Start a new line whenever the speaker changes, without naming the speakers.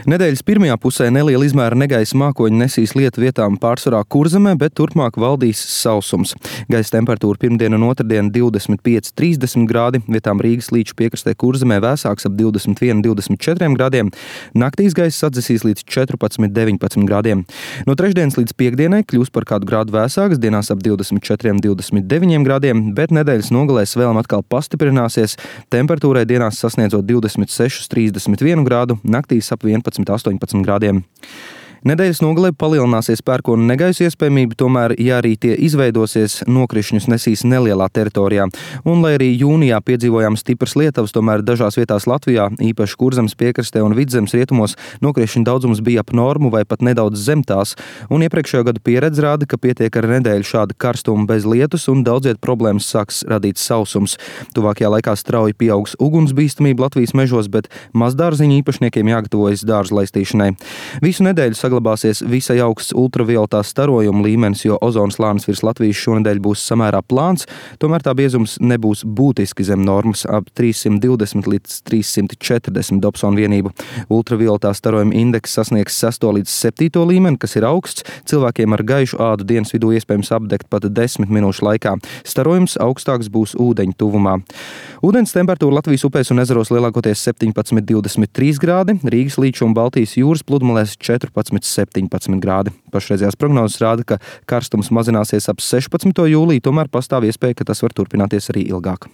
Nedēļas pirmajā pusē neliela izmēra negaisa mākoņi nesīs lietu vietām pārsvarā Kurzemē, bet turpmāk valdīs sausums. Gaisa temperatūra pirmdien un otrdien 25–30 grādi, vietām Rīgas līča piekrastē Kurzemē vēsāks ap 21–24 grādiem. Naktīs gaisa atdzesīs līdz 14–19 grādiem. No trešdienas līdz piekdienai kļūs par kādu grādu vēsāks, dienās ap 24–29 grādiem, bet nedēļas nogalē svēlme atkal pastiprināsies, temperatūrai dienās sasniedzot 26–31 grādu, naktīs ap 11–18 grādiem. Nedēļas nogalē palielināsies pērkona negaisa iespējamība, tomēr, ja arī tie izveidosies, nokrišņus nesīs nelielā teritorijā. Un, lai arī jūnijā piedzīvojām stipras lietavas, tomēr dažās vietās Latvijā, īpaši Kurzemes piekrastē un Vidzemes rietumos, nokrišņu daudzums bija ap normu vai pat nedaudz zem tās. Un iepriekšējo gadu pieredze rāda, ka pietiek ar nedēļu šāda karstuma bez lietus un daudziet problēmas sāks radīt sausums. Tuvākajā laikā strauji pieaugs ugunsbīstamība Latvijas mežos, bet mazdārziņu īpašniekiem jāgatavojas dārzu laistīšanai. Visu nedēļu saglabāsies visai augsts ultravioletā starojuma līmenis, jo ozona slānis virs Latvijas šonedēļ būs samērā plāns, tomēr tā biezums nebūs būtiski zem normas ap 320 līdz 340 Dobsona vienību. Ultravioletā starojuma indeks sasniegs 6. līdz 7. līmeni, kas ir augsts. Cilvēkiem ar gaišu ādu dienas vidū iespējams apdegt pat 10 minūšu laikā. Starojums augstāks būs ūdeņu tuvumā. Ūdens temperatūra Latvijas upēs un ezeros lielākoties 17–23 grādi, Rīgas līča un Baltijas jūras pludmalēs 14–17 grādi. Pašreizējās prognozes rāda, ka karstums mazināsies ap 16. jūliju, tomēr pastāv iespēja, ka tas var turpināties arī ilgāk.